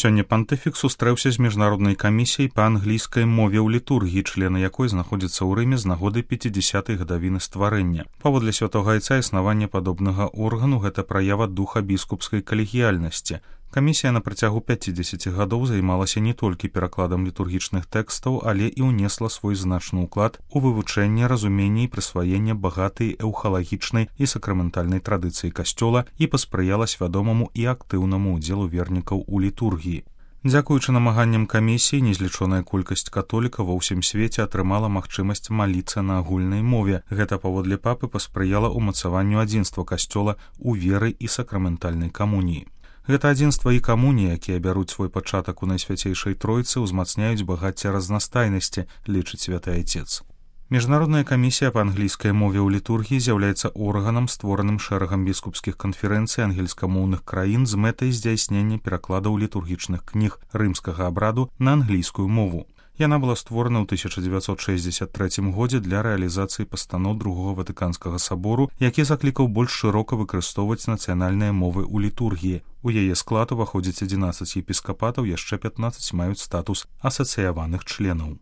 Сёння пантыфік сустрэўся з міжнароднай камісіяй па англійскай мове ў літургіі, члены якой знаходзяцца ў Рыме з нагоды 50-й гадавіны стварэння. Паводле святога айца існаванне падобнага органу гэта праява духа біскупскай калегіяльнасці. Камісія на працягу 50 гадоў займалася не толькі перакладам літургічных тэкстаў, але і ўнесла свой значны ўклад у вывучэнне, разуменне і прысваенне багатай эўхалагічнай і сакраментальнай традыцыі касцёла і паспрыяла свядомаму і актыўнаму ўдзелу вернікаў у літургіі. Дзякуючы намаганням камісіі, незлічоная колькасць католікаў ва ўсім свеце атрымала магчымасць маліцца на агульнай мове. Гэта паводле папы паспрыяла ўмацаванню адзінства касцёла ў веры і сакраментальнай камуніі. Гэта адзінства і камунія, якія бяруць свой пачатак у Найсвяцейшай Тройцы, узмацняюць багацце разнастайнасці, лічыць святы айцец. Міжнародная камісія па англійскай мове ў літургіі з'яўляецца органам, створаным шэрагам біскупскіх канферэнцый ангельскамоўных краін з мэтай здзяйснення перакладаў літургічных кніг рымскага абраду на англійскую мову. Яна была створана ў 1963 годзе для рэалізацыі пастаноў Другога Ватыканскага сабору, які заклікаў больш шырока выкарыстоўваць нацыянальныя мовы ў літургіі. У яе склад уваходзіць 11 епіскапатаў, яшчэ 15 маюць статус асацыяваных членаў.